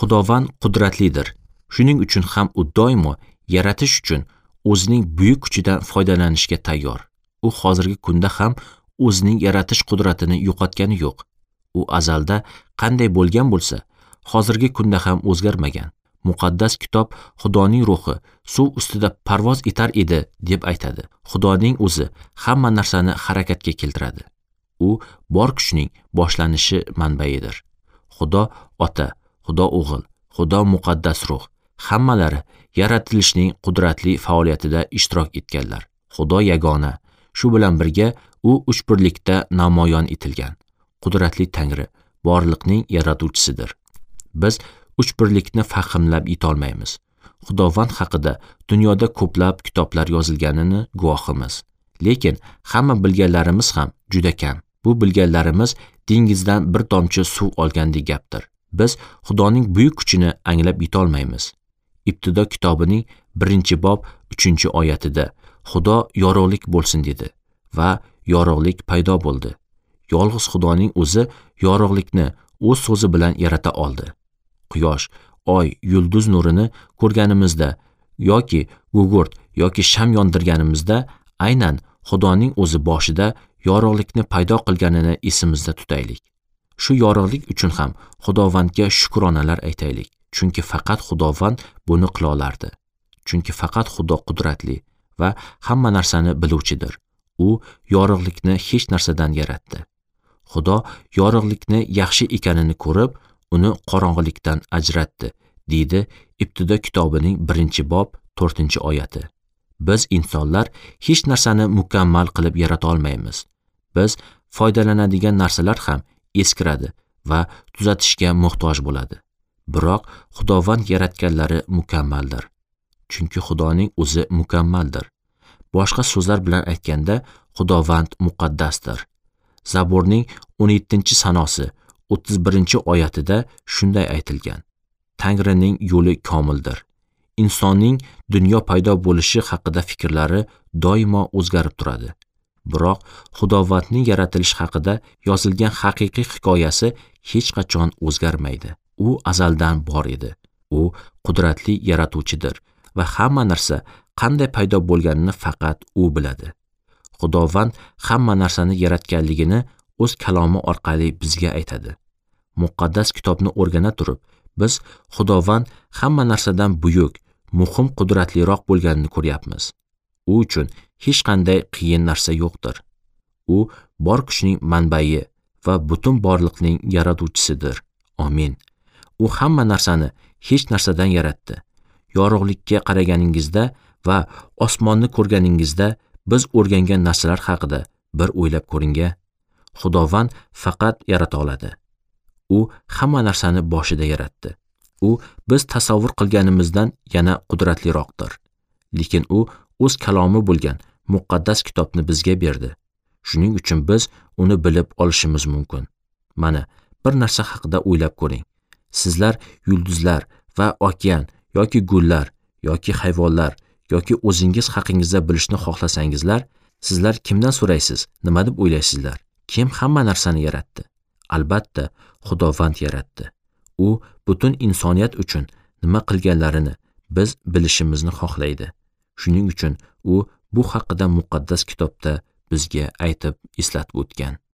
Xudovand qudratlidir. Shuning uchun ham u doimo yaratish uchun o'zining buyuk kuchidan foydalanishga tayyor. U hozirgi kunda ham o'zining yaratish qudratini yo'qotgani yo'q. U azalda qanday bo'lgan bo'lsa, hozirgi kunda ham o'zgarmagan. Muqaddas kitob Xudoning ruhi suv ustida parvoz etar edi deb aytadi. Xudoning o'zi hamma narsani harakatga keltiradi. U bor kuchning boshlanishi manbaidir. Xudo Ota, Xudo O'g'il, Xudo Muqaddas Ruh hammalari yaratilishning qudratli faoliyatida ishtirok etganlar. Xudo yagona, shu bilan birga u uchbirlikda namoyon etilgan. Qudratli Tangri borliqning yaratuvchisidir. Biz uchbirlikni fahmlab yetolmaymiz. Xudovand haqida dunyoda ko'plab kitoblar yozilganini guvohimiz. Lekin hamma bilganlarimiz ham juda kam. Bu bilganlarimiz dengizdan bir tomchi suv olgandek gapdir. Biz Xudoning buyuk kuchini anglab yetolmaymiz. Ibtido kitobining 1-bob 3-oyatida Xudo yorug'lik bo'lsin dedi va yorug'lik paydo bo'ldi. Yolg'iz Xudoning o'zi yorug'likni o'z so'zi bilan yarata oldi. Quyosh, oy, yulduz nurini ko'rganimizda yoki gugurt yoki sham yondirganimizda aynan Xudoning o'zi boshida yorug'likni paydo qilganini esimizda tutaylik. Shu yorug'lik uchun ham Xudovandga shukronalar aytaylik. Chunki faqat Xudovand buni qila olardi. Chunki faqat Xudo qudratli va hamma narsani biluvchidir. U yorug'likni hech narsadan yaratdi. Xudo yorug'likni yaxshi ekanini ko'rib, uni qorong'ilikdan ajratdi, deydi Ibtido kitobining 1-bob 4-oyati. Biz insonlar hech narsani mukammal qilib yarata olmaymiz. Biz foydalanadigan narsalar ham eskiradi va tuzatishga muhtoj bo'ladi. Biroq Xudovand yaratganlari mukammaldir. Chunki Xudoning o'zi mukammaldir. Boshqa so'zlar bilan aytganda, Xudovand muqaddasdir. Zaburning 17-sanosi 31-oyatida shunday aytilgan: Tangrining yo'li komildir. Insonning dunyo paydo bo'lishi haqida fikrlari doimo o'zgarib turadi. Biroq Xudovandning yaratilishi haqida yozilgan haqiqiy hikoyasi hech qachon o'zgarmaydi. U azaldan bor edi. U qudratli yaratuvchidir va hamma narsa qanday paydo bo'lganini faqat u biladi. Xudovand hamma narsani yaratganligini o'z kalomi orqali bizga aytadi. Muqaddas kitobni o'rgana turib, biz Xudovand hamma narsadan buyuk, muhim qudratliroq bo'lganini ko'ryapmiz. U uchun hech qanday qiyin narsa yo'qdir. U bor kuchning manbai va butun borliqning yaratuvchisidir. Amin. U hamma narsani hech narsadan yaratdi. Yorug'likka qaraganingizda va osmonni ko'rganingizda biz o'rgangan narsalar haqida bir o'ylab ko'ring-a. Xudovand faqat yarata oladi. U hamma narsani boshida yaratdi. U biz tasavvur qilganimizdan yana qudratliroqdir. Lekin u o'z kalomi bo'lgan muqaddas kitobni bizga berdi. Shuning uchun biz uni bilib olishimiz mumkin. Mana bir narsa haqida o'ylab ko'ring. Sizlar yulduzlar va okean yoki gullar yoki hayvonlar yoki o'zingiz haqingizda bilishni xohlasangizlar, sizlar kimdan so'raysiz? Nima deb o'ylaysizlar? Kim hamma narsani yaratdi? Albatta, Xudovand yaratdi. U butun insoniyat uchun nima qilganlarini biz bilishimizni xohlaydi. Shuning uchun u bu haqida muqaddas kitobda bizga aytib eslatib o'tgan.